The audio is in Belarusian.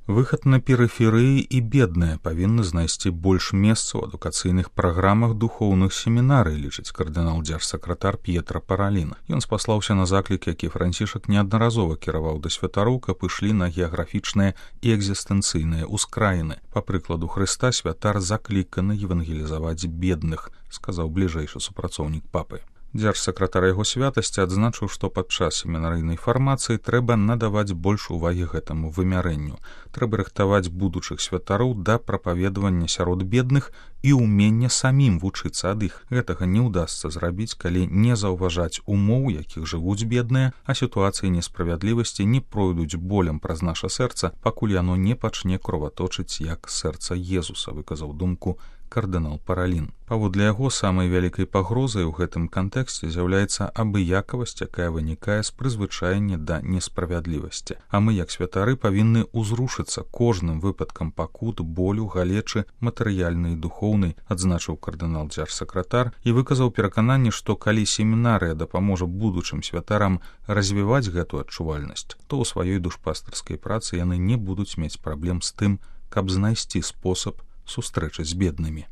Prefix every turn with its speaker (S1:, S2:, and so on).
S1: Выхад на перыферыі і бедныя павінны знайсці больш месца ў адукацыйных праграмах духоўных семінарый, лічыць кардынал дзяржсакратар П'етра Паралін. Ён спаслаўся на заклік, які Францішак неаднаразова кіраваў да святароў, каб ішлі на геаграфічныя і экзістэнцыйныя ўскраіны. Па прыкладу Хрыста святар закліканы евангелізаваць бедных, сказаў бліжэйшы супрацоўнік папы. Дзяржсакратар яго святасці адзначыў, што падчас семінарыйнай фармацыі трэба надаваць больш увагі гэтаму вымярэнню. Трэба рыхтаваць будучых святароў да прапаведавання сярод бедных і ўмення самім вучыцца ад іх. Гэтага не ўдасца зрабіць, калі не заўважаць умоў, якіх жывуць бедныя, а сітуацыі несправядлівасці не пройдуць болем праз наша сэрца, пакуль яно не пачне кроваточыць, як сэрца Езуса, выказаў думку кардынал Паралін. Паводле яго, самай вялікай пагрозай у гэтым кантэксце з'яўляецца абыякавасць, якая вынікае з прызвычаення да несправядлівасці. А мы, як святары, павінны ўзрушыцца кожным выпадкам пакут, болю, галечы, матэрыяльнай і духоўнай, адзначыў кардынал дзяржсакратар і выказаў перакананне, што калі семінарыя дапаможа будучым святарам развіваць гэту адчувальнасць, то ў сваёй душпастарскай працы яны не будуць мець праблем з тым, каб знайсці спосаб сустрэчы з беднымі.